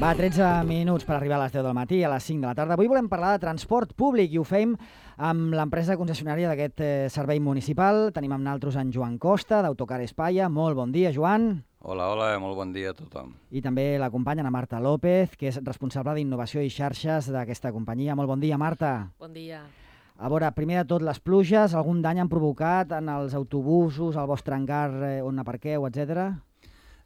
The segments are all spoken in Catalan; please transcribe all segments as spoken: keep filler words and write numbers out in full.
Va, tretze minuts per arribar a les deu del matí, a les cinc de la tarda. Avui volem parlar de transport públic i ho fem amb l'empresa concessionària d'aquest eh, servei municipal. Tenim amb naltros en Joan Costa, d'Autocar Espaia. Molt bon dia, Joan. Hola, hola, molt bon dia a tothom. I també l'acompanya Ana Marta López, que és responsable d'innovació i xarxes d'aquesta companyia. Molt bon dia, Marta. Bon dia. A veure, primer de tot, les pluges, algun dany han provocat en els autobusos, al vostre hangar eh, on aparqueu, etcètera?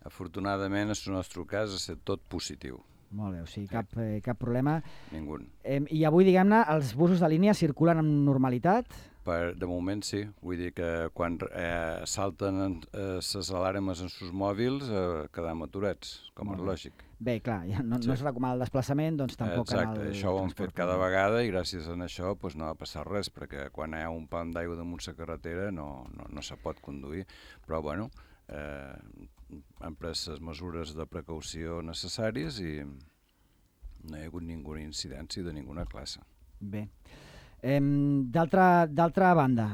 Afortunadament, en el nostre cas, ha estat tot positiu. Molt bé, o sigui, cap, eh, cap problema. Ningú. Eh, I avui, diguem-ne, els busos de línia circulen amb normalitat? Per, de moment sí, vull dir que quan eh, salten les eh, alarmes en sus mòbils eh, quedam aturats, com és lògic. Bé, clar, ja no, sí. no es recomana el desplaçament, doncs tampoc Exacte, en el això ho hem fet cada públic. vegada i gràcies a això pues, no va passar res, perquè quan hi ha un pam d'aigua damunt la carretera no, no, no se pot conduir. Però bueno, eh, han pres les mesures de precaució necessàries i no hi ha hagut ninguna incidència de ninguna classe. Bé. Eh, D'altra banda,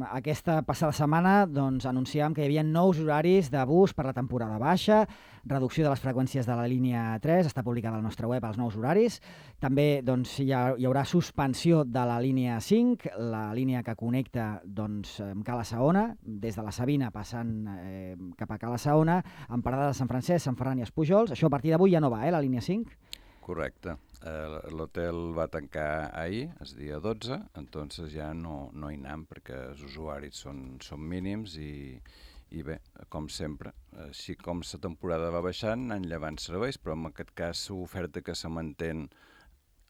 aquesta passada setmana doncs, anunciàvem que hi havia nous horaris de bus per la temporada baixa, reducció de les freqüències de la línia tres, està publicada al nostre web els nous horaris. També doncs, hi, ha, hi haurà suspensió de la línia cinc, la línia que connecta doncs, amb Cala Saona, des de la Sabina passant eh, cap a Cala Saona, amb parada de Sant Francesc, Sant Ferran i Espujols. Això a partir d'avui ja no va, eh, la línia cinc? Correcte. Eh, L'hotel va tancar ahir, el dia dotze, entonces ja no, no hi anem perquè els usuaris són, són mínims i, i bé, com sempre, així com la temporada va baixant, anen llevant serveis, però en aquest cas l'oferta que se mantén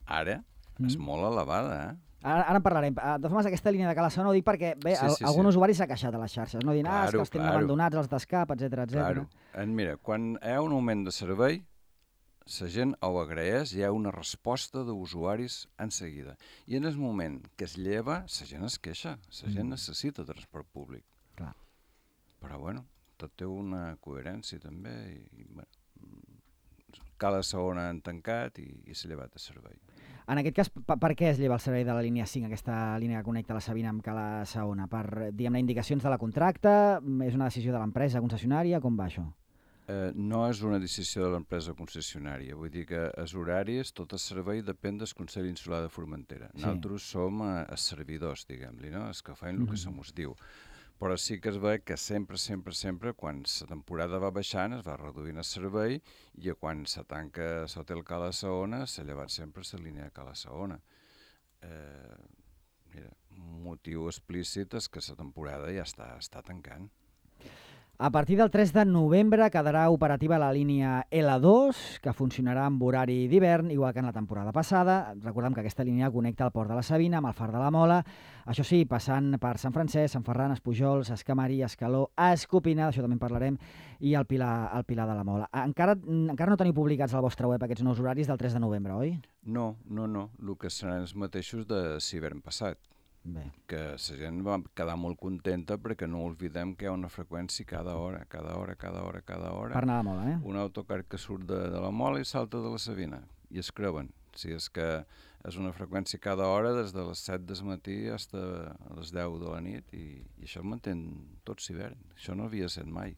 ara mm. és molt elevada, eh? Ara, ara en parlarem. De totes formes, aquesta línia de Cala Saona ho dic perquè bé, sí, sí, algun sí. usuari s'ha queixat a les xarxes, no dient, ah, claro, és que els tenen claro. abandonats, els d'escap, etcètera, etcètera. Claro. Mira, quan hi ha un augment de servei, la gent ho agraeix, hi ha una resposta d'usuaris en seguida. I en el moment que es lleva, la gent es queixa, la gent mm. necessita transport públic. Clar. Però bueno, tot té una coherència també. I, bueno, Cala Saona han tancat i, i s'ha llevat el servei. En aquest cas, per, per què es lleva el servei de la línia cinc, aquesta línia que connecta la Sabina amb Cala Saona? Per, diguem-ne, indicacions de la contracta? És una decisió de l'empresa concessionària? Com va això? Eh, no és una decisió de l'empresa concessionària, vull dir que els horaris, tot el servei depèn del Consell Insular de Formentera. Sí. Nosaltres som eh, els servidors, diguem-li, no? Els que fan el mm. que se mos diu. Però sí que es ve que sempre, sempre, sempre, quan la temporada va baixant, es va reduint el servei i quan se tanca l'hotel Cala Saona, s'ha llevat sempre la línia de Cala Saona. Eh, mira, un motiu explícit és que la temporada ja està, està tancant. A partir del tres de novembre quedarà operativa la línia L dos, que funcionarà amb horari d'hivern, igual que en la temporada passada. Recordem que aquesta línia connecta el Port de la Sabina amb el Far de la Mola, això sí, passant per Sant Francesc, Sant Ferran, Espujols, Escamari, Escaló, Escopina, d'això també en parlarem, i el Pilar, el Pilar de la Mola. Encara, encara no teniu publicats al vostre web aquests nous horaris del tres de novembre, oi? No, no, no. El que seran els mateixos de l'hivern passat. Bé. Que la gent va quedar molt contenta perquè no oblidem que hi ha una freqüència cada hora, cada hora, cada hora, cada hora. Per anar a la Mola, eh? Un autocar que surt de, de la Mola i salta de la Sabina, i es creuen. O sigui, és que és una freqüència cada hora des de les set del matí fins a les deu de la nit i, i això es mantén tot l'hivern. Això no havia set mai.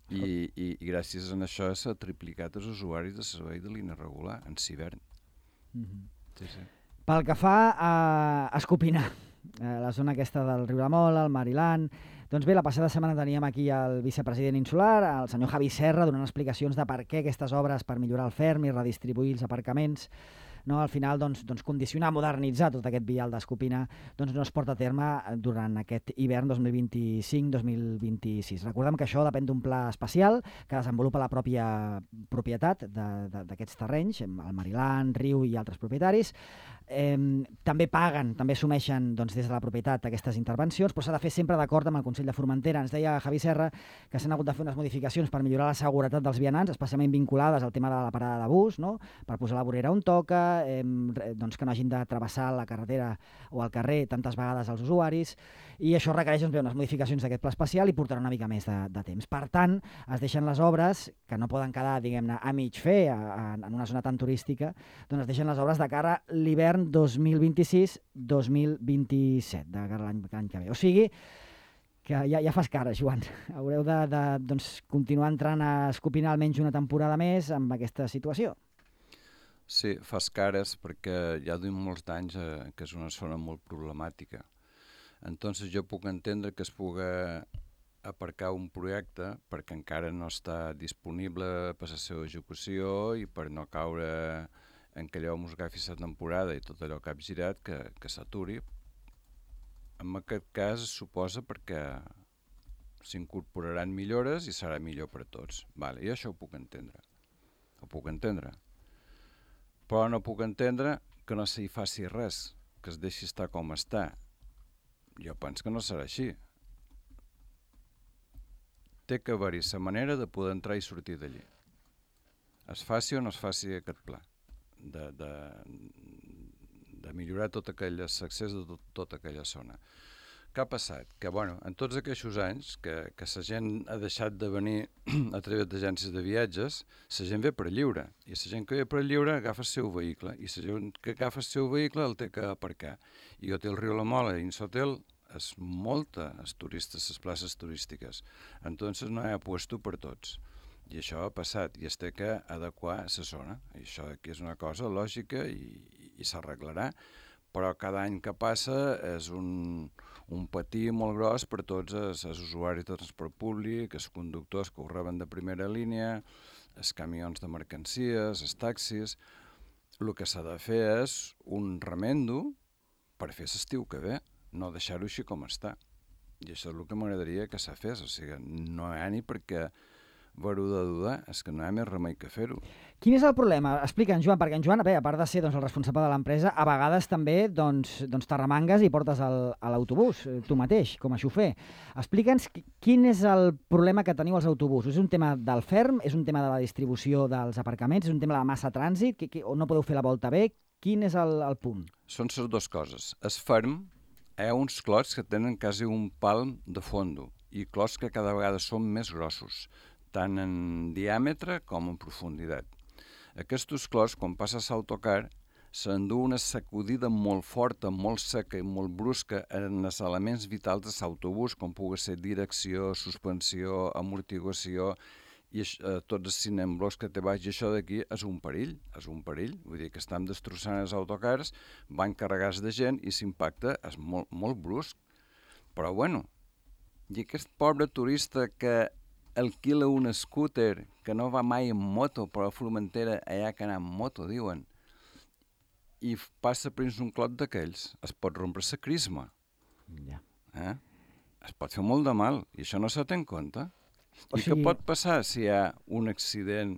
I, i, i gràcies a això s'ha triplicat els usuaris de servei de línia regular en l'hivern. Mm-hmm. Sí, sí. Pel que fa a Escopinar, la zona aquesta del riu La Mola, el Mariland. Doncs bé, la passada setmana teníem aquí el vicepresident insular, el senyor Javi Serra, donant explicacions de per què aquestes obres per millorar el ferm i redistribuir els aparcaments, no, al final doncs, doncs condicionar, modernitzar tot aquest vial d'Escopina doncs no es porta a terme durant aquest hivern dos mil vint-i-cinc dos mil vint-i-sis. Recordem que això depèn d'un pla especial que desenvolupa la pròpia propietat d'aquests terrenys, el Mariland, Riu i altres propietaris. Eh, també paguen, també assumeixen doncs, des de la propietat aquestes intervencions, però s'ha de fer sempre d'acord amb el Consell de Formentera. Ens deia Javi Serra que s'han hagut de fer unes modificacions per millorar la seguretat dels vianants, especialment vinculades al tema de la parada de bus, no? Per posar la vorera on toca, eh, doncs que no hagin de travessar la carretera o el carrer tantes vegades als usuaris, i això requereix doncs, bé, unes modificacions d'aquest pla especial i portarà una mica més de, de temps. Per tant, es deixen les obres, que no poden quedar, diguem-ne, a mig fer a, a, en una zona tan turística, doncs es deixen les obres de cara a l'hivern dos mil vint-i-sis dos mil vint-i-set, de cara a l'any que ve. O sigui, que ja, ja fas cara, Joan. Haureu de, de doncs, continuar entrant a Escopinar almenys una temporada més amb aquesta situació. Sí, fas cares perquè ja duim molts d'anys eh, que és una zona molt problemàtica. Entonces jo puc entendre que es puga aparcar un projecte perquè encara no està disponible per la seva execució i per no caure en que allò mos agafi la temporada i tot allò que ha girat, que, que s'aturi. En aquest cas es suposa perquè s'incorporaran millores i serà millor per a tots. Vale, i això ho puc entendre. Ho puc entendre. Però no puc entendre que no s'hi faci res, que es deixi estar com està. Jo penso que no serà així. Té que haver-hi la manera de poder entrar i sortir d'allí. Es faci o no es faci aquest pla de, de, de millorar tot aquell accés de tot, tota aquella zona. Què ha passat? Que, bueno, en tots aquests anys que, que la gent ha deixat de venir a través d'agències de viatges, la gent ve per lliure. I la gent que ve per lliure agafa el seu vehicle. I la gent que agafa el seu vehicle el té que aparcar. I Hotel Riu La Mola i Insotel és molta els turistes, les places turístiques. Entonces no hi ha puesto per tots. I això ha passat i es té que adequar a la zona. I això aquí és una cosa lògica i, i s'arreglarà. Però cada any que passa és un, un patí molt gros per tots els, els usuaris de transport públic, els conductors que ho reben de primera línia, els camions de mercancies, els taxis. El que s'ha de fer és un remendo per fer l'estiu que ve, no deixar-ho així com està. I això és el que m'agradaria que s'ha fes. O sigui, no hi ha ni perquè veure-ho de dudar, és que no hi ha més remei que fer-ho. Quin és el problema? Explica'ns, Joan, perquè en Joan, bé, a part de ser doncs, el responsable de l'empresa, a vegades també doncs, doncs t'arremangues i portes el, a l'autobús, tu mateix, com a xofer. Explica'ns quin és el problema que teniu als autobusos. És un tema del ferm? És un tema de la distribució dels aparcaments? És un tema de la massa trànsit? Que, que, o no podeu fer la volta bé? Quin és el, el punt? Són les dues coses. El ferm hi ha uns clots que tenen quasi un palm de fondo i clots que cada vegada són més grossos, tant en diàmetre com en profunditat. Aquests clots, quan passes l'autocar, s'endú una sacudida molt forta, molt seca i molt brusca en els elements vitals de l'autobús, com pugui ser direcció, suspensió, amortiguació, i eh, tots els cinemblos que té baix, i això d'aquí és un perill, és un perill, vull dir que estan destrossant els autocars, van carregats de gent i l'impacte és molt, molt brusc. Però bueno, i aquest pobre turista que alquila un scooter, que no va mai en moto, però a Formentera allà que anar en moto, diuen, i passa per un clot d'aquells, es pot rompre la crisma. Ja. Eh? Es pot fer molt de mal, i això no se té en compte. O I sigui... què pot passar si hi ha un accident,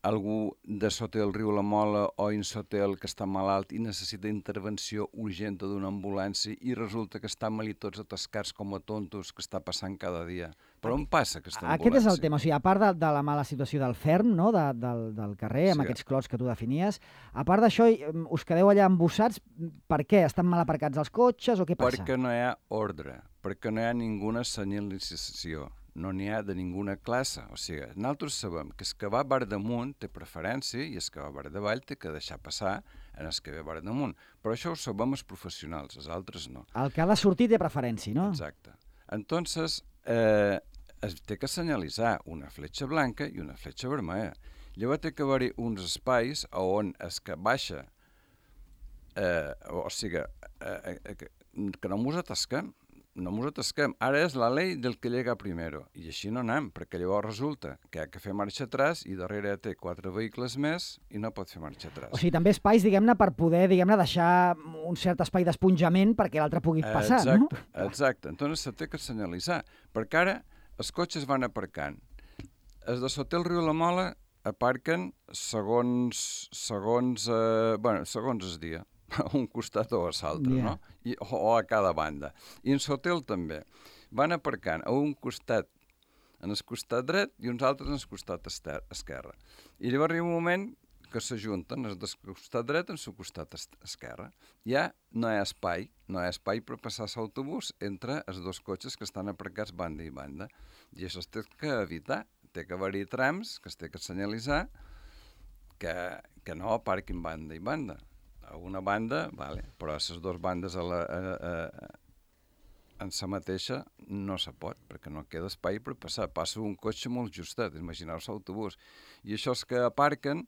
algú de Sotel Riu La Mola o Insotel que està malalt i necessita intervenció urgent d'una ambulància i resulta que estan mal i tots atascats com a tontos que està passant cada dia. Però on passa aquesta ambulància? Aquest és el tema. O sigui, a part de, de la mala situació del ferm, no? de, del, del carrer, amb sí. aquests clots que tu definies, a part d'això, us quedeu allà embossats. Per què? Estan mal aparcats els cotxes o què passa? Perquè no hi ha ordre, perquè no hi ha ninguna senyalització. No n'hi ha de ninguna classe. O sigui, nosaltres sabem que el que va bar damunt té preferència i el que va bar davall té que deixar passar en el que ve bar damunt. Però això ho sabem els professionals, els altres no. El que ha de sortir té preferència, no? Exacte. Entonces, eh, es té que senyalitzar una fletxa blanca i una fletxa vermella. Llavors té que haver-hi uns espais on es que baixa, eh, o sigui, eh, eh, que, que no mos atasquem. No ens atasquem. Ara és la llei del que llega primero. I així no anem, perquè llavors resulta que ha que fer marxa atràs i darrere té quatre vehicles més i no pot fer marxa atràs. O sigui, també espais, diguem-ne, per poder, diguem-ne, deixar un cert espai d'esponjament perquè l'altre pugui passar, exacte, no? Exacte. Entonces se té que senyalitzar. Perquè ara els cotxes van aparcant. Els de Sotel Riu La Mola aparquen segons, segons, eh, bueno, segons el dia. A un costat o a l'altre, yeah. no? I, o, o a cada banda. I en l'hotel també. Van aparcant a un costat en el costat dret i uns altres en el costat ester, esquerre. I llavors arriba un moment que s'ajunten els del costat dret en el costat esquerre. Ja no hi ha espai, no hi ha espai per passar l'autobús entre els dos cotxes que estan aparcats banda i banda. I això es té que evitar. Té que haver-hi trams que es té que senyalitzar que, que no aparquin banda i banda. A una banda, vale, però a les dues bandes a la, a, a, en sa mateixa no se pot, perquè no queda espai per passar. Passa un cotxe molt justet, imagineu-vos l'autobús. I això és que aparquen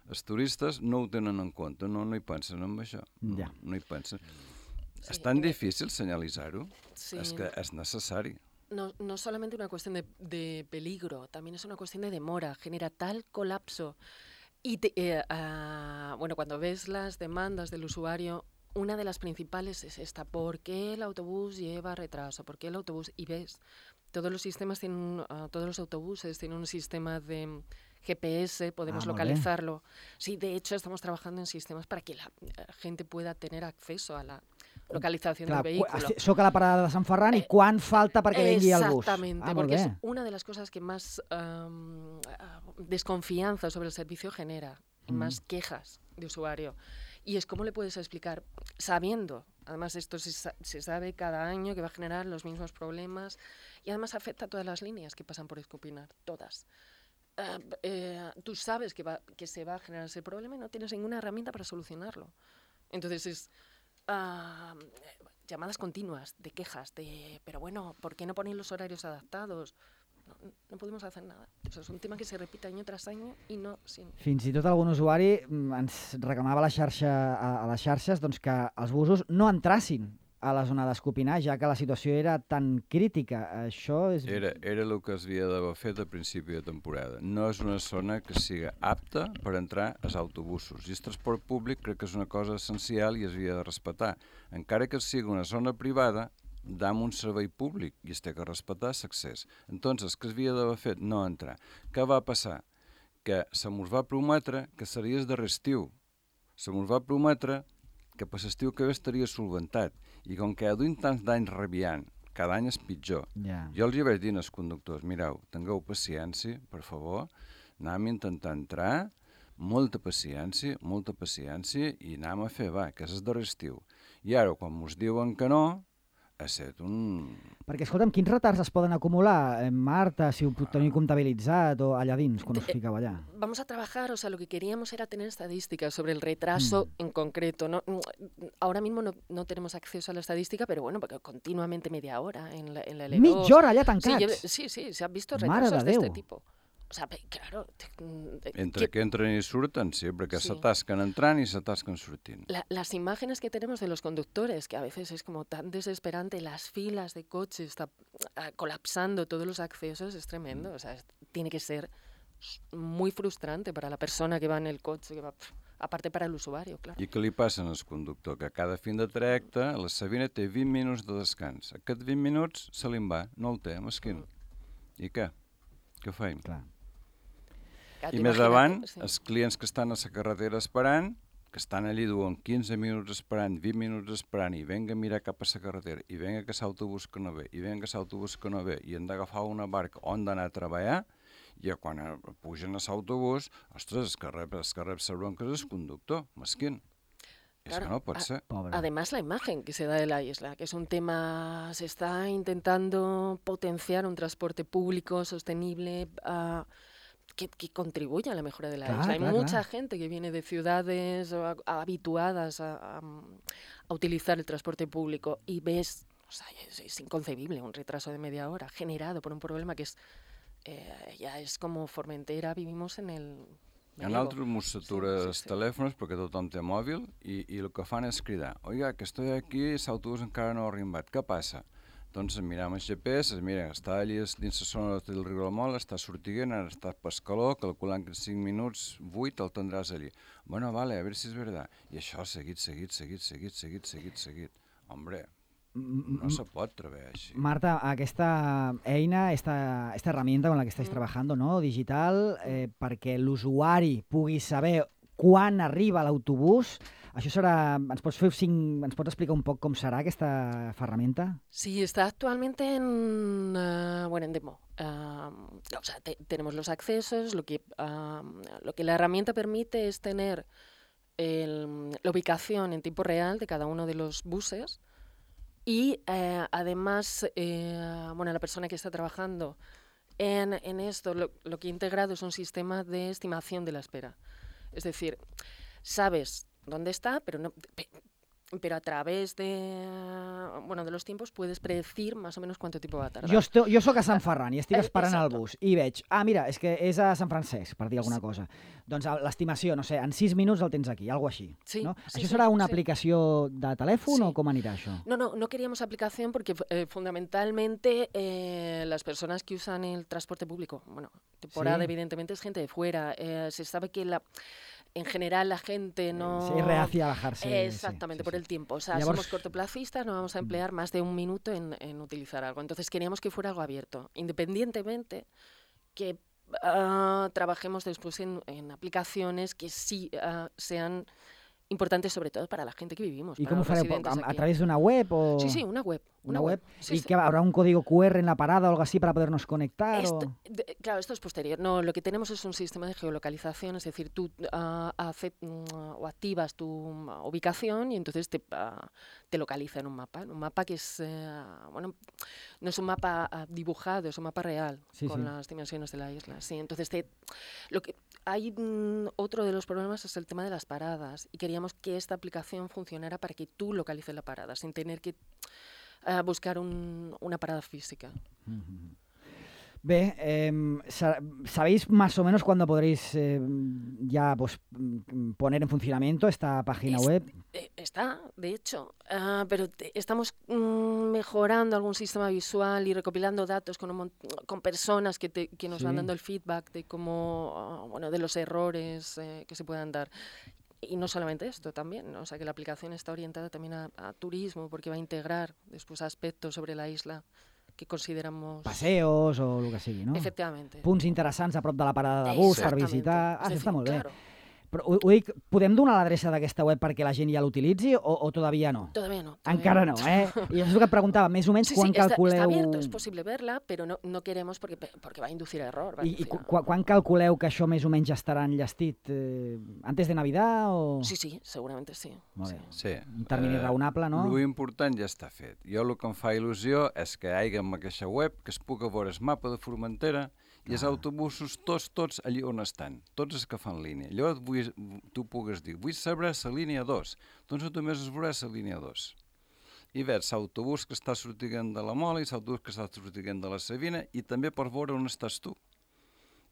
Els turistes no ho tenen en compte, no, no hi pensen en això, no, Ja. no hi pensen. Sí, És tan eh, difícil senyalitzar-ho, Sí. és que és necessari. No, no solamente una cuestión de, de peligro, también es una cuestión de demora, genera tal colapso. Y te- eh, ah, bueno, cuando ves las demandas del usuario, una de las principales es esta: ¿por qué el autobús lleva retraso? ¿Por qué el autobús? Y ves, todos los sistemas tienen, un- ah, todos los autobuses tienen un sistema de mm, G P S, podemos Ah, molt bé. localizarlo. Sí, de hecho estamos trabajando en sistemas para que la eh, gente pueda tener acceso a la localización Clar, del qu- vehículo. esti- soc a la parada de Sant Ferran i quan falta perquè vingui el bus? Exactamente, Ah, molt porque es bé. una de las cosas que más am, ah, desconfianza sobre el servicio genera, y Mm. más quejas de usuario. Y es cómo le puedes explicar, sabiendo, además esto se, sa- se sabe cada año que va a generar los mismos problemas, y además afecta a todas las líneas que pasan por Escopinar, todas. Ah, b- eh, tú sabes que, va, que se va a generar ese problema y no tienes ninguna herramienta para solucionarlo. Entonces es ah, eh, llamadas continuas de quejas, de, pero bueno, ¿por qué no ponen los horarios adaptados? No, no podemos hacer nada. O sea, es un tema que se repite año tras año y no sin... Fins i tot algun usuari mm, ens reclamava a, la xarxa, a, a les xarxes doncs, que els busos no entrassin a la zona d'Escopinar, ja que la situació era tan crítica. Això és... Era, era el que es havia d'haver fet a principi de temporada. No és una zona que siga apta per entrar als autobusos. I el transport públic crec que és una cosa essencial i es havia de respectar. Encara que sigui una zona privada, dam un servei públic i es té que respectar l'accés. Entonces, què es havia d'haver fet? No entrar. Què va passar? Que se mos va prometre que seria el darrer estiu. Se mos va prometre que per l'estiu que ve estaria solventat. I com que duim tants d'anys rabiant, cada any és pitjor. Ja. Jo els hi vaig dir als conductors: mireu, tingueu paciència, per favor, anem a intentar entrar, molta paciència, molta paciència, i anem a fer, va, que és el darrer estiu. I ara, quan mos diuen que no, ha estat un... Perquè, escolta'm, quins retards es poden acumular, eh, Marta, si ho puc tenir comptabilitzat o allà dins, quan us fiqueu allà? Vamos a trabajar, o sea, lo que queríamos era tener estadísticas sobre el retraso Mm. en concreto. No, ahora mismo no, no tenemos acceso a la estadística, pero bueno, porque continuamente media hora en la, en la L dos. Mitja hora allà Sí, tancats? lleve- sí, sí, se han visto Mare retrasos de de, este Déu. tipo. O sea, pe- claro. te- mm, Entre que- que entren i surten, sí, perquè Sí. s'atasquen entrant i s'atasquen sortint. la- las imágenes que tenemos de los conductores, que a veces es como tan desesperante, las filas de coches está, ah, colapsando todos los accesos, es tremendo. O sea, es- tiene que ser s- muy frustrante para la persona que va en el coche, que va, pf, aparte para el usuario, claro. I què li passa al conductor? Que cada fin de trajecte la Sabina té vint minuts de descans. Aquests vint minuts se li'n va, no el té, mesquin. I què? Què feim? Clar. Claro, I tú més imagínate, avant, sí. els clients que estan a la carretera esperant, que estan allí duen quinze minuts esperant, vint minuts esperant, i venga a mirar cap a la carretera, i venga que l'autobús que no ve, i venga que l'autobús que no ve, i han d'agafar una barca on d'anar a treballar, i quan eh, pugen a l'autobús, ostres, el que rep, el que rep la bronca és el conductor, mesquin. És Claro, que no pot a- ser. Pobre. Además, la imagen que se da de la isla, que es un tema, se está intentando potenciar un transporte público sostenible ah, que, que contribuya a la mejora de la Clar, isla. Hay clar, mucha clar. gente que viene de ciudades a- a- habituadas a, a- a utilizar el transporte público y ves, o sea, es, es inconcebible un retraso de media hora generado por un problema que es, eh, ya es como Formentera, vivimos en el... En medievo. altres mos s'atura Sí, sí, els sí. telèfons perquè tothom té mòbil i, i el que fan és cridar: oiga, que estoy aquí, l'autobús encara no ha arribat, què passa? Doncs miram el G P S, mira, està allí dins la zona del riu del Mol, està sortint, ara està per escaló, calculant que en cinc minuts, vuit, el tindràs allí. Bueno, vale, a veure si és veritat. I això seguit, seguit, seguit, seguit, seguit, seguit, seguit. Hombre, no se pot treballar així. Marta, aquesta eina, esta, esta herramienta con la que estáis Mm. trabajando, no? Digital, eh, perquè l'usuari pugui saber quan arriba l'autobús, això serà... Ens pots, fer cinc, ens pots explicar un poc com serà aquesta ferramenta? Sí, está actualmente en, ah, bueno, en demo. Ah, o sea, te- tenemos los accesos. Lo que, ah, lo que la herramienta permite es tener el- la ubicación en tiempo real de cada uno de los buses y eh, además, eh, bueno, la persona que está trabajando en, en esto, lo, lo que ha integrado es un sistema de estimación de la espera. Es decir, sabes dónde está, pero no, pe- pero a través de, bueno, de los tiempos puedes predecir más o menos cuánto tiempo va a tardar. Jo, esto, jo sóc a Sant Ferran i estic Eh, esperant el exacto. bus i veig, ah, mira, és que és a Sant Francesc, per dir alguna cosa. Doncs a- l'estimació, no sé, en sis minuts el tens aquí, alguna així. Sí, no? sí, Això sí, serà una sí. aplicació de telèfon Sí. o com anirà això? No, no, no queríamos aplicación porque eh, fundamentalmente eh, las personas que usan el transporte público, bueno, temporada Sí. evidentemente es gente de fuera, eh, se sabe que la, en general la gente no... Sí, reacia a bajarse. Eh, Exactamente, sí, sí, por sí. el tiempo. O sea, Llavors- somos cortoplacistas, no vamos a emplear más de un minuto en, en utilizar algo. Entonces queríamos que fuera algo abierto, independientemente que ah, trabajemos después en, en aplicaciones que sí ah, sean importantes sobre todo para la gente que vivimos. I para com ho los fareu? residentes A, a aquí. través d'una web o...? Sí, sí, una web. Una web. Sí, ¿Y sí. que habrá un código Q R en la parada o algo así para podernos conectar? Esto- o... de- claro, esto es posterior. No, lo que tenemos es un sistema de geolocalización, es decir, tú ah, hace- mm, o activas tu mm, ubicación y entonces te, ah, te localiza en un mapa. En un mapa que es, eh, bueno, no es un mapa ah, dibujado, es un mapa real Sí, con sí. las dimensiones de la isla. Sí, entonces te, lo que hay mm, otro de los problemas es el tema de las paradas y queríamos que esta aplicación funcionara para que tú localices la parada sin tener que ah, buscar un- una parada física. Bé, eh, sa- ¿sabéis más o menos cuándo podréis eh, ya pues, mm, poner en funcionamiento esta página Es- web? eh, Está, de hecho, ah, pero te- estamos mm, mejorando algún sistema visual y recopilando datos con, un mon- con personas que, te- que nos Sí. van dando el feedback de cómo, ah, bueno, de los errores eh, que se puedan dar. Y no solamente esto, también, ¿no? O sea, que la aplicación está orientada también a, a turismo, porque va a integrar después aspectos sobre la isla que consideramos... Paseos o el que sigui, no? Efectivamente. Punts interessants a prop de la parada de bus per Exactamente. visitar... Ah, Es això decir, està molt bé. claro, Però ho, ho dic, podem donar l'adreça d'aquesta web perquè la gent ja l'utilitzi o, o todavía no? todavía no. todavía Encara no, eh? I això és el que et preguntava, més o menys Sí, quan sí, está, calculeu... está abierto, es posible verla, pero no, no queremos porque, porque va a inducir a error. Va a I, i inducir qu a- quan calculeu que això més o menys ja estarà enllestit? Eh, antes de Navidad o...? Sí, sí, seguramente sí. Molt bé. sí. Sí. Un termini raonable, no? Lo important ja està fet. Jo el que em fa il·lusió és que hi hagi en aquesta web que es puga veure el mapa de Formentera i els autobusos tots, tots allí on estan, tots els que fan línia. Llavors vull, tu pugues dir, vull saber la línia dos, doncs només es veurà la línia dos. I veus l'autobús que està sortint de la Mola i l'autobús que està sortint de la Sabina i també per veure on estàs tu.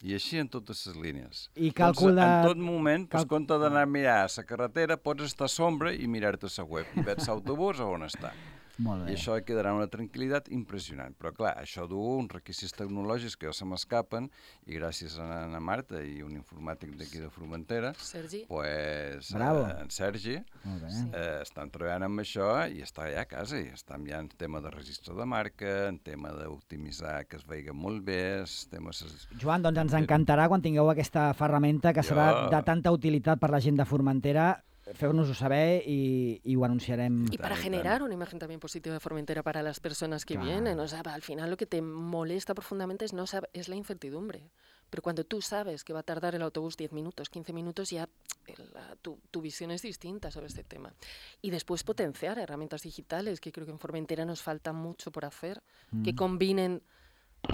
I així en totes les línies. I càlcul de... En tot moment, cal- en compte d'anar a mirar a la carretera, pots estar a sombra i mirar-te la web i veus l'autobús a on està. Molt bé. I això quedarà una tranquil·litat impressionant. Però, clar, això du uns requisits tecnològics que ja se m'escapen i gràcies a Ana Marta i un informàtic d'aquí de Formentera, Sergi. pues, Bravo. eh, en Sergi, Molt bé. Sí. eh, estan treballant amb això i està ja a casa. I estan ja en tema de registre de marca, en tema d'optimitzar que es vegi molt bé, en temes... Joan, doncs ens encantarà quan tingueu aquesta ferramenta que serà Jo- de tanta utilitat per la gent de Formentera. Feu-nos-ho saber i, i ho anunciarem. Y para Tan, generar una imagen también positiva de Formentera para las personas que Claro. vienen. O sea, al final lo que te molesta profundamente es, no sab- es la incertidumbre. Pero cuando tú sabes que va a tardar el autobús diez minutos, quince minutos, ya el- la- tu, tu visión es distinta sobre este tema. Y después potenciar herramientas digitales, que creo que en Formentera nos falta mucho por hacer, que combinen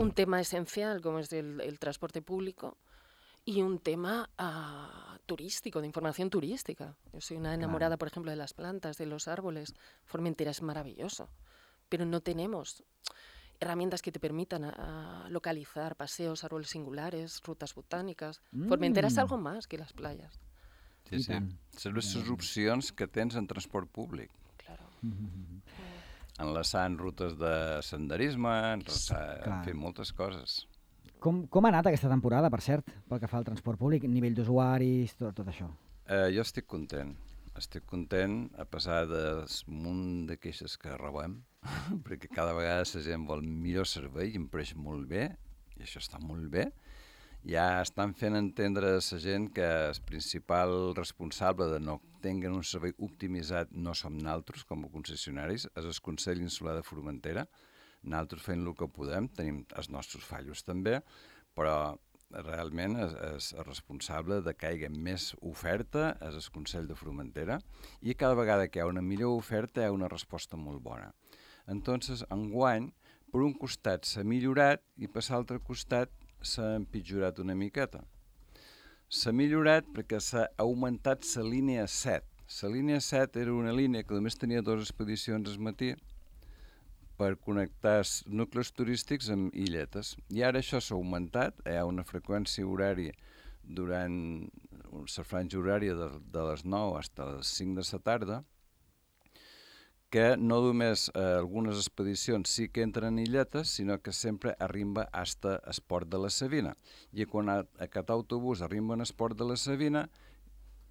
un tema esencial como es el, el transporte público y un tema ah, turístico, de información turística. Yo soy una enamorada, por ejemplo, de las plantas, de los árboles. Formentera es maravilloso, pero no tenemos herramientas que te permitan ah, localizar paseos, árboles singulares, rutas botánicas. Formentera es Mm. algo más que las playas. Sí, I sí. tant. Són les opcions que tens en transport públic. Claro. Enlaçant rutes de senderisme, enlaçar, Clar. en fi, moltes coses. Com, com ha anat aquesta temporada, per cert, pel que fa al transport públic, nivell d'usuaris, tot, tot això? Eh, jo estic content. Estic content a pesar del munt de queixes que rebem, perquè cada vegada la gent vol millor servei i em pareix molt bé, i això està molt bé. Ja estan fent entendre a la gent que el principal responsable de no tenir un servei optimitzat no som nosaltres com a concessionaris, és el Consell Insular de Formentera. Nosaltres fem el que podem, tenim els nostres fallos també, però realment és, és el responsable de que hi hagi més oferta és el Consell de Formentera i cada vegada que hi ha una millor oferta hi ha una resposta molt bona. Entonces, enguany, per un costat s'ha millorat i per l'altre costat s'ha empitjorat una miqueta. S'ha millorat perquè s'ha augmentat la línia set. La línia set era una línia que només tenia dues expedicions al matí per connectar nuclis turístics amb illetes. I ara això s'ha augmentat, hi ha una freqüència horària durant la franja horària de, de les nou fins a les cinc de la tarda, que no només eh, algunes expedicions sí que entren en illetes, sinó que sempre arriba fins al port de la Savina. I quan a, aquest autobús arriba al port de la Savina,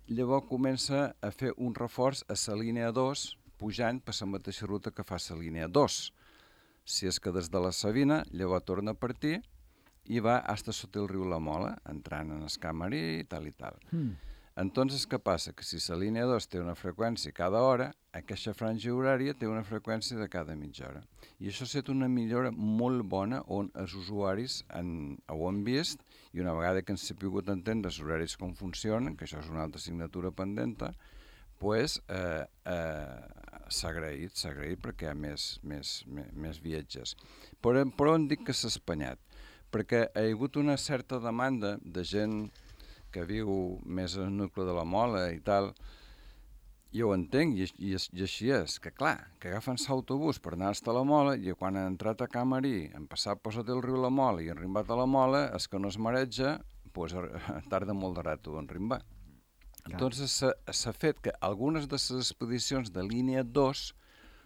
llavors comença a fer un reforç a la línia dos, pujant per la mateixa ruta que fa la línia dos. Si és que des de la Savina, llavors torna a partir i va fins sota el riu La Mola, entrant en el Camarí i tal i tal. Mm. Entonces, què passa? Que si la línia dos té una freqüència cada hora, aquesta franja horària té una freqüència de cada mitja hora. I això ha estat una millora molt bona on els usuaris han, ho han vist, i una vegada que han sabut entendre els horaris com funcionen, que això és una altra assignatura pendenta, pues, eh, eh, s'ha agraït, s'ha agraït perquè hi ha més, més, més, més viatges. Però, però on dic que s'ha espanyat? Perquè hi ha hagut una certa demanda de gent que viu més al nucli de la Mola i tal, jo ho entenc, i, i, i així és, que clar, que agafen l'autobús per anar a la Mola, i quan han entrat a Camarí, han passat per sota el riu La Mola i han arribat a la Mola, és que no es mareja, pues, tarda molt de rato en arribar. Entonces s'ha fet que algunes de les expedicions de línia dos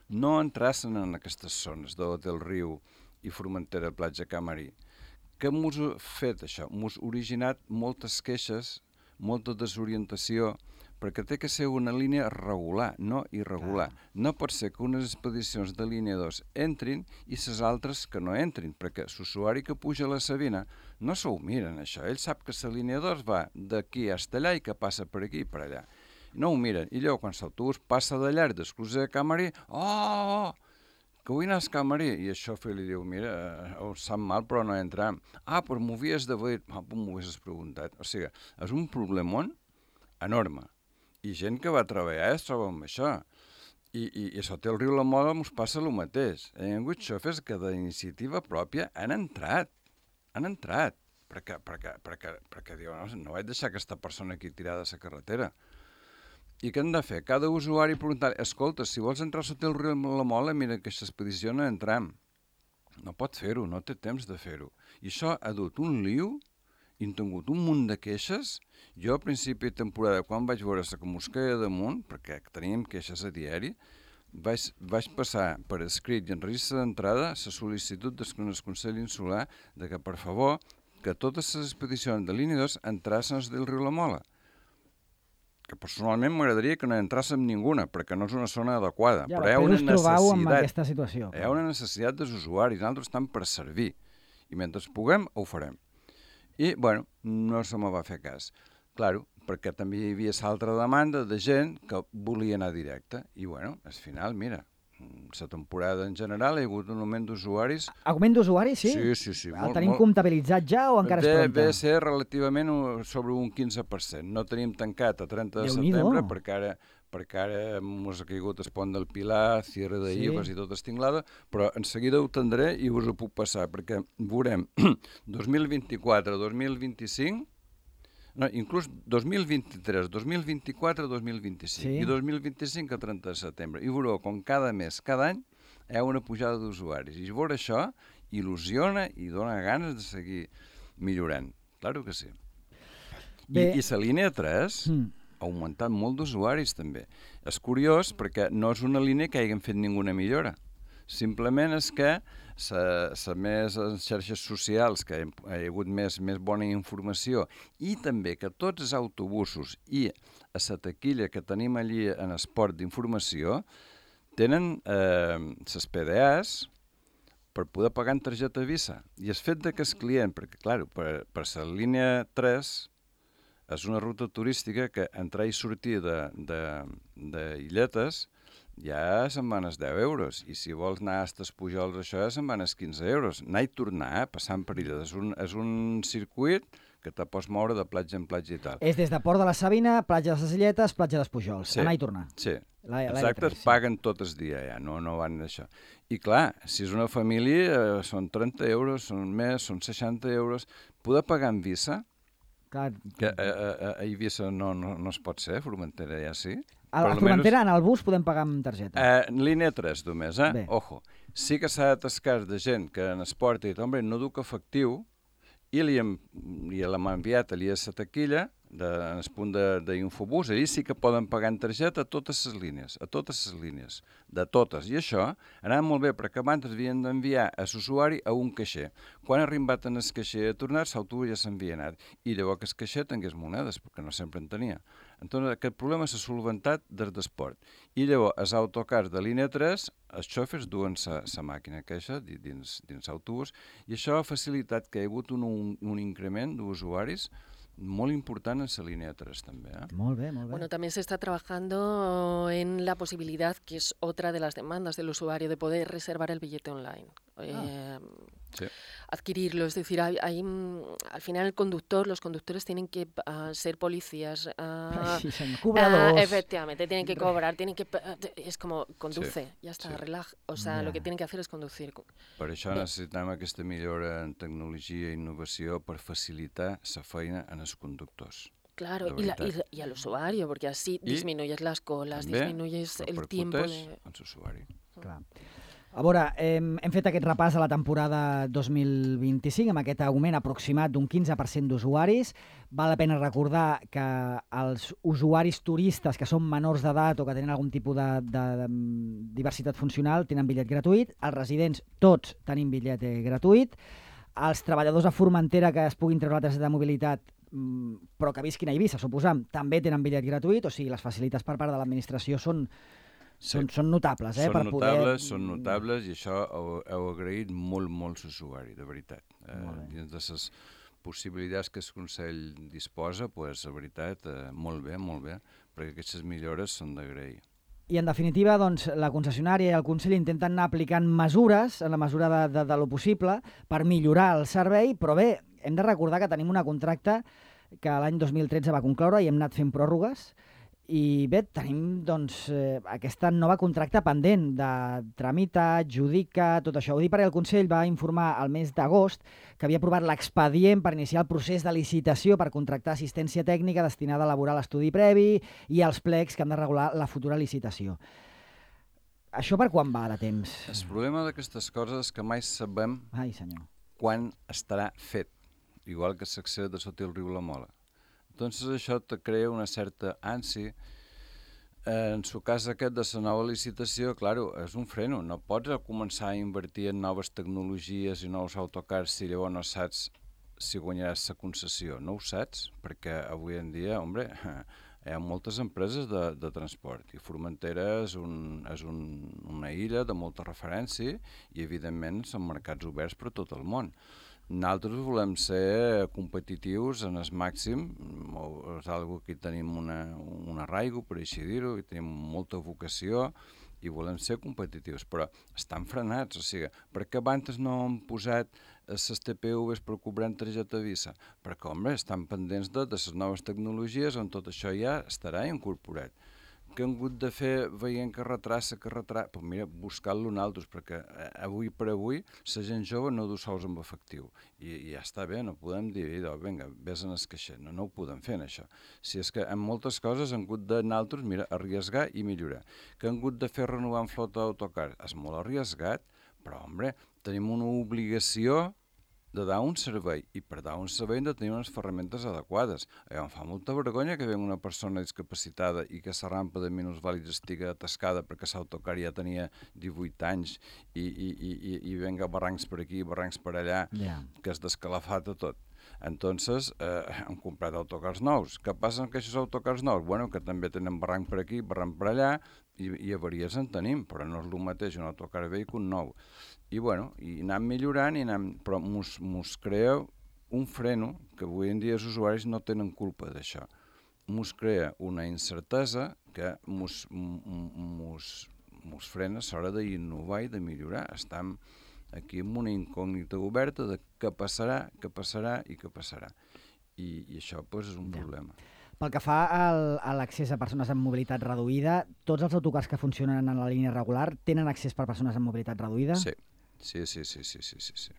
no entrassen en aquestes zones del riu i Formentera, platja Camarí. Què m'ho ha fet això? M'ho ha originat moltes queixes, molta desorientació, perquè té que ser una línia regular, no irregular. Clar. No pot ser que unes expedicions de línia dos entrin i les altres que no entrin, perquè l'usuari que puja a la Savina no s'ho miren, això. Ell sap que la línia dos va d'aquí fins allà i que passa per aquí i per allà. No ho miren. I llavors, quan l'autobús passa de llarg d'exclusió de Camarí, oh, que vull anar al Camarí. I això li diu, mira, ho sap mal, però no entram. Ah, però m'ho havies d'haver... Ah, però m'ho havies preguntat. O sigui, és un problemón enorme. I gent que va treballar es troba amb això. I, i, i sota el riu La Mola ens passa el mateix. Hi ha hagut xofers que d'iniciativa pròpia han entrat. Han entrat. Perquè, perquè, perquè, perquè diuen, no, no vaig deixar aquesta persona aquí tirada a la carretera. I què han de fer? Cada usuari preguntar, escolta, si vols entrar sota el riu La Mola, mira que aquesta expedició no entram. No pot fer-ho, no té temps de fer-ho. I això ha dut un liu, i han tingut un munt de queixes. Jo, a principi de temporada, quan vaig veure la que mos queia damunt, perquè teníem queixes a diari, vaig, vaig passar per escrit i en registre d'entrada la sol·licitud del Consell Insular de que, per favor, que totes les expedicions de línia dos entrassin del riu La Mola. Que personalment m'agradaria que no entràssim ninguna, perquè no és una zona adequada. Ja, però hi ha una necessitat, amb aquesta situació. Hi ha una necessitat dels usuaris, nosaltres estem per servir. I mentre puguem, ho farem. I, bueno, no se me va fer cas. Claro, perquè també hi havia l'altra demanda de gent que volia anar directe. I, bueno, al final, mira, la temporada en general hi ha hagut un augment d'usuaris. Augment d'usuaris, sí? Sí, sí, sí. El molt, tenim molt... comptabilitzat ja o encara de, és pronta? Ve ser relativament sobre un quinze per cent. No tenim tancat a trenta de setembre perquè ara, perquè ara ens ha caigut el pont del Pilar, Sierra de sí. Ives i tot estinglada, però en seguida ho tindré i us ho puc passar, perquè veurem dos mil vint-i-quatre, dos mil vint-i-cinc, no, inclús dos mil vint-i-tres, dos mil vint-i-quatre, dos mil vint-i-cinc sí. I dos mil vint-i-cinc a trenta de setembre. I veureu com cada mes, cada any, hi ha una pujada d'usuaris. I veure això il·lusiona i dona ganes de seguir millorant. Claro que sí. I, i la línia tres mm. ha augmentat molt d'usuaris també. És curiós perquè no és una línia que hagin fet ninguna millora. Simplement és que la més en xarxes socials, que hi ha hagut més, més bona informació, i també que tots els autobusos i a la taquilla que tenim allí en esport d'informació tenen eh, les P D As per poder pagar en targeta Visa. I el fet de que el client, perquè clar, per, per la línia tres és una ruta turística que entrar i sortir d'Illetes ja se'n van els deu euros, i si vols anar a els Pujols això ja se'n van els quinze euros. Anar i tornar, passant per ella. És un, és un circuit que te pots moure de platja en platja i tal. És des de Port de la Savina, platja de les Illetes, platja dels Pujols. Sí, anar i tornar. Sí, la, exacte, es paguen tot el dia ja, no, no van d'això. I clar, si és una família, eh, són trenta euros, són més, són seixanta euros. Poder pagar en Visa, clar. Que a, a, a Eivissa no, no, no es pot ser, Formentera ja sí. A la Formentera, en el bus, podem pagar amb targeta. Eh, línia tres, només, eh? Bé. Ojo. Sí que s'ha d'atascar de gent que en esport i hombre, no duc efectiu i li hem, i l'hem enviat allà a la taquilla, de, en el punt d'infobús, allà sí que poden pagar en targeta a totes les línies, a totes les línies, de totes. I això anava molt bé, perquè abans havien d'enviar a l'usuari a un caixer. Quan ha arribat en el caixer a tornar, l'autobús ja s'havia anat. I llavors que el caixer tingués monedes, perquè no sempre en tenia. Entonces, aquest problema s'ha solventat des d'esport. I llavors, els autocars de línia tres, els xòfers duen la màquina queixa dins, dins l'autobús, i això ha facilitat que hi ha hagut un, un, un increment d'usuaris muy importante en esa línea tres también. ¿eh? Muy bien, muy bien. Bueno, también se está trabajando en la posibilidad, que es otra de las demandas del usuario, de poder reservar el billete online. Ah. Eh, sí. Adquirirlo, es decir, hay, hay, al final el conductor, los conductores tienen que uh, ser policías, uh, sí, uh, efectivamente, tienen que cobrar, tienen que, es como, conduce, sí, ya está, sí. relaja, o sea, yeah. lo que tienen que hacer es conducir. Per això necessitem aquesta millora en tecnologia i innovació per facilitar la feina en els conductors. Claro, y, la, y, y al usuario, porque así y disminuyes las colas, disminuyes el tiempo de... en l'usuari. Clar. A veure, hem, hem fet aquest repàs a la temporada dos mil vint-i-cinc amb aquest augment aproximat d'un quinze per cent d'usuaris. Val la pena recordar que els usuaris turistes que són menors d'edat o que tenen algun tipus de, de, de diversitat funcional tenen bitllet gratuït. Els residents, tots, tenim bitllet gratuït. Els treballadors a Formentera que es puguin treure la targeta de mobilitat però que visquin a Eivissa, suposam, també tenen bitllet gratuït, o sigui, les facilitats per part de l'administració són Sí. Són, són notables, eh? Són per notables, poder... són notables i això heu, heu agraït molt, molt l'usuari, de veritat. Eh, dins de les possibilitats que el Consell disposa, pues, la veritat, eh, molt bé, molt bé, perquè aquestes millores són d'agrair. I en definitiva, doncs, la concessionària i el Consell intenten anar aplicant mesures, en la mesura de, de, de lo possible, per millorar el servei, però bé, hem de recordar que tenim una contracte que l'any dos mil tretze va concloure i hem anat fent pròrrogues. I bé, tenim doncs, eh, aquesta nova contracte pendent de tramita, adjudica, tot això. Ho dic perquè el Consell va informar al mes d'agost que havia aprovat l'expedient per iniciar el procés de licitació per contractar assistència tècnica destinada a elaborar l'estudi previ i els plecs que han de regular la futura licitació. Això per quan va de temps? El problema d'aquestes coses és que mai sabem Ai, senyor. quan estarà fet, igual que l'accés de sota el riu La Mola. Entonces això te crea una certa ànsia. En el cas aquest de la nova licitació, claro, és un freno. No pots començar a invertir en noves tecnologies i nous autocars si llavors no saps si guanyaràs la concessió. No ho saps, perquè avui en dia, hombre, hi ha moltes empreses de, de transport i Formentera és, un, és un, una illa de molta referència i, evidentment, són mercats oberts per tot el món. Nosaltres volem ser competitius en el màxim, és algo que tenim una, un arraigo, per així dir-ho, i tenim molta vocació i volem ser competitius, però estan frenats, o sigui, per què abans no han posat les T P Vs per cobrar en targeta Visa? Perquè, home, estan pendents de, de les noves tecnologies on tot això ja estarà incorporat. Que han hagut de fer veient que retrassa, que retrassa... Pues mira, buscar-lo nosaltres, perquè avui per avui la gent jove no du sols amb efectiu. I, i ja està bé, no podem dir, vinga, vés en el caixer. No, no ho podem fer, això. Si és que en moltes coses han hagut de nosaltres, mira, arriesgar i millorar. Que han hagut de fer renovar en flota d'autocar. És molt arriesgat, però, home, tenim una obligació de dar un servei, i per dar un servei hem de tenir unes ferramentes adequades. Em fa molta vergonya que venga una persona discapacitada i que la rampa de minusvàlids estigui atascada perquè l'autocar ja tenia divuit anys i, i, i, i venga barrancs per aquí, barrancs per allà, yeah. que es descalafata tot. Entonces, eh, hem comprat autocars nous. Què passa amb aquests autocars nous? Bueno, que també tenen barranc per aquí, barranc per allà, i, i avaries en tenim, però no és el mateix un autocar vell que un nou. I bueno, i anem millorant, i anem, però mos, mos crea un freno, que avui en dia els usuaris no tenen culpa d'això. Mos crea una incertesa que mos, mos, mos frena a l'hora d'innovar i de millorar. Estem aquí amb una incògnita oberta de què passarà, què passarà i què passarà. I, i això pues, és un ja. problema. Pel que fa al, a l'accés a persones amb mobilitat reduïda, tots els autocars que funcionen en la línia regular tenen accés per persones amb mobilitat reduïda? Sí, sí, sí, sí, sí, sí, sí.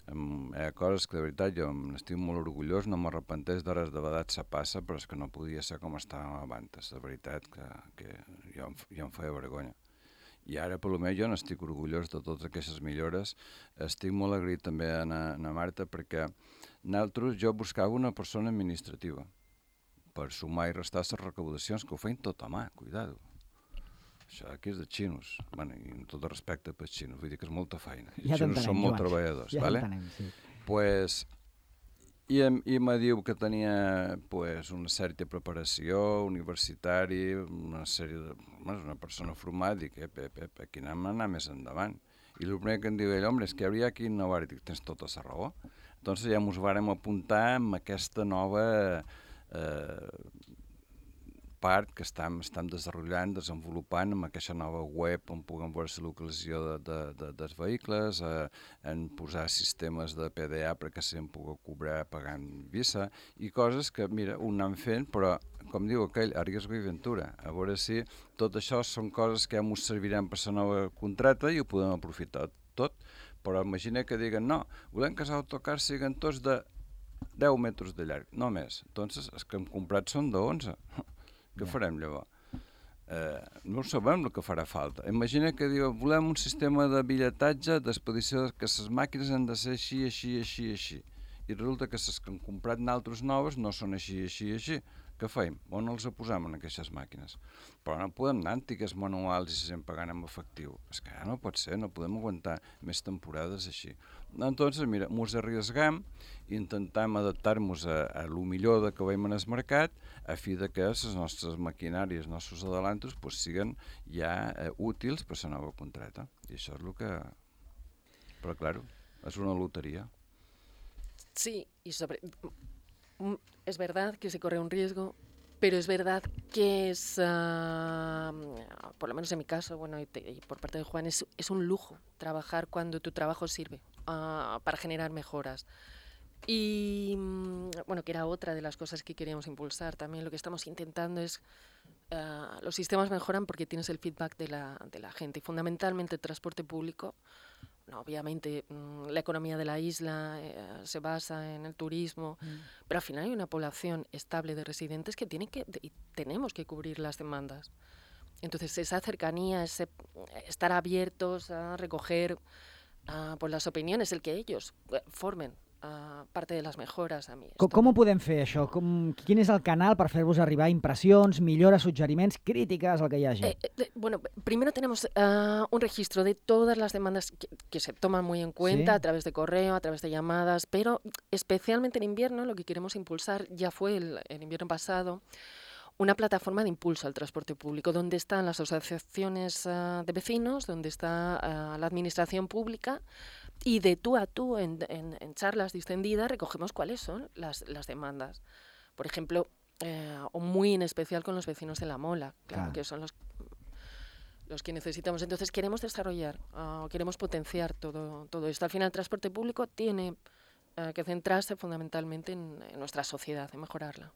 hi ha coses que de veritat jo n'estic molt orgullós, no m'arrepenteix d'hores de vedat se passa, però és que no podia ser com estàvem abans, de veritat que, que jo, jo em feia vergonya. I ara, per almenys, jo n'estic orgullós de totes aquestes millores. Estic molt agraït també a na, a Marta perquè nosaltres, jo buscava una persona administrativa per sumar i restar les recaudacions, que ho feien tot a mà, cuidado. Això aquí és de xinos, bueno, i amb tot respecte pels xinos, vull dir que és molta feina. Els ja xinos són molt Joan. treballadors, ja vale? Sí. Pues, i, i me diu que tenia pues, una certa preparació universitari, una sèrie de... Bueno, una persona formada, dic, ep, ep, ep, aquí anem a anar més endavant. I el primer que em diu ell, home, és que hauria aquí innovar, i dic, tens tota la raó. Doncs ja ens vàrem apuntar amb aquesta nova eh, part que estem, estem desenvolupant, desenvolupant amb aquesta nova web on puguem veure la localització de, de, de, dels vehicles, eh, en posar sistemes de P D A perquè se'n pugui cobrar pagant Visa i coses que, mira, ho anem fent, però, com diu aquell, a riesgo i ventura. A veure si tot això són coses que ja ens serviran per la nova contrata i ho podem aprofitar tot, però imagina que diguen, no, volem que els autocars siguin tots de deu metres de llarg, no més. Doncs els que hem comprat són de onze. Què farem llavors? Eh, no sabem el que farà falta. Imagina que diu, volem un sistema de bitlletatge d'expedició que les màquines han de ser així, així, així, així. I resulta que les que han comprat naltres noves no són així, així, així. Què fem? On els posem en aquestes màquines? Però no podem anar antigues manuals i se sent pagant en efectiu. És que ja no pot ser, no podem aguantar més temporades així. Entonces, mira, ens arriesgam i intentem adaptar-nos a, a lo millor de que veiem en el mercat a fi de que les nostres maquinàries, els nostres adelantos, pues, siguen ja eh, útils per la nova contrata. I això és el que... Però, claro, és una loteria. Sí, y sobre... Es verdad que se corre un riesgo, pero es verdad que es, uh, por lo menos en mi caso, bueno, y, te, y por parte de Juan, es, es un lujo trabajar cuando tu trabajo sirve uh, para generar mejoras. Y, bueno, que era otra de las cosas que queríamos impulsar también. Lo que estamos intentando es, uh, los sistemas mejoran porque tienes el feedback de la, de la gente, y fundamentalmente el transporte público. No, obviamente la economía de la isla eh, se basa en el turismo, mm. pero al final hay una población estable de residentes que tiene que y tenemos que cubrir las demandas. Entonces esa cercanía, ese estar abiertos a recoger uh, pues las opiniones, el que ellos uh, formen uh, parte de les mejoras a mi. Com, com ho podem fer, això? Com, quin és el canal per fer-vos arribar impressions, millores, suggeriments, crítiques, el que hi hagi? Eh, eh, bueno, primero tenemos uh, un registro de todas las demandas que, que se toman muy en cuenta, ¿sí? A través de correo, a través de llamadas, pero especialmente en invierno lo que queremos impulsar, ya fue el, el invierno pasado, una plataforma de impulso al transporte público, donde están las asociaciones uh, de vecinos, donde está uh, la administración pública, y de tú a tú, en, en, en charlas distendidas, recogemos cuáles son las, las demandas. Por ejemplo, eh, o muy en especial con los vecinos de La Mola, claro, ah. que son los, los que necesitamos. Entonces queremos desarrollar, uh, queremos potenciar todo, todo esto. Al final el transporte público tiene uh, que centrarse fundamentalmente en, en nuestra sociedad, en mejorarla.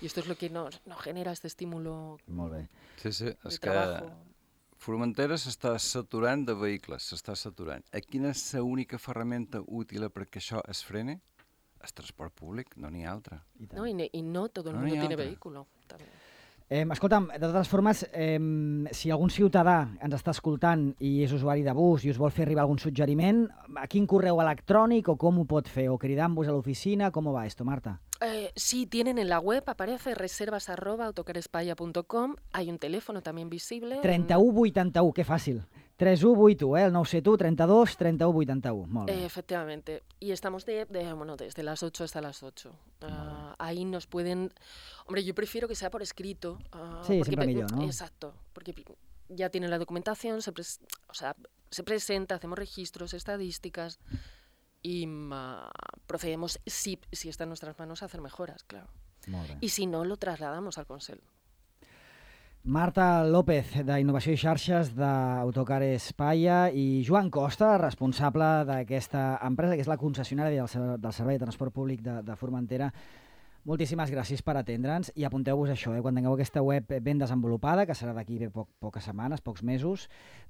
Y esto es lo que nos, nos genera este estímulo Molt bé. Sí, sí, de és trabajo. Que Formentera s'està saturant de vehicles, s'està saturant. A quina és l'única ferramenta útil perquè això es freni? El transport públic, no n'hi ha altra. No, y, y no todo el no mundo tiene altra. vehículo. También. Eh, escolta'm, de totes formes, eh, si algun ciutadà ens està escoltant i és usuari de bus i us vol fer arribar algun suggeriment, a quin correu electrònic o com ho pot fer? O cridant-vos a l'oficina? Com va esto, Marta? Eh, sí, tienen en la web, aparece reservas arroba autocarespaya punto com, hay un teléfono también visible. trenta-u vuitanta-u, que fàcil. tres u vuit u, eh? El nou set u, trenta-dos, trenta-u vuitanta-u. Molt bé. Eh, efectivamente. Y estamos de, de, bueno, desde las ocho hasta las ocho. Uh, ahí nos pueden... Hombre, yo prefiero que sea por escrito. Uh, sí, porque siempre millor, ¿no? Exacto, porque ya tienen la documentación, se, pres o sea, se presenta, hacemos registros, estadísticas y uh, procedemos, si, si está en nuestras manos, a hacer mejoras, claro. Molt bé. Y si no, lo trasladamos al Consell. Marta López, d'Innovació i Xarxes d'Autocar Espaia, i Joan Costa, responsable d'aquesta empresa, que és la concessionària del, del Servei de Transport Públic de, de Formentera. Moltíssimes gràcies per atendre'ns i apunteu-vos això, eh? Quan tingueu aquesta web ben desenvolupada, que serà d'aquí bé poc, poques setmanes, pocs mesos,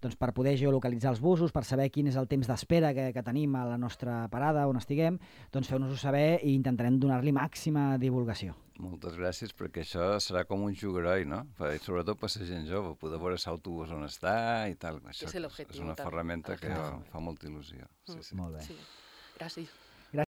doncs per poder geolocalitzar els busos, per saber quin és el temps d'espera que, que tenim a la nostra parada on estiguem, doncs feu-nos-ho saber i intentarem donar-li màxima divulgació. Moltes gràcies, perquè això serà com un jugaroi, no? I sobretot per la gent jove, poder veure l'autobús on està i tal. Això és una ferramenta que fa molta il·lusió. Sí, sí. Molt bé. Sí. Gràcies.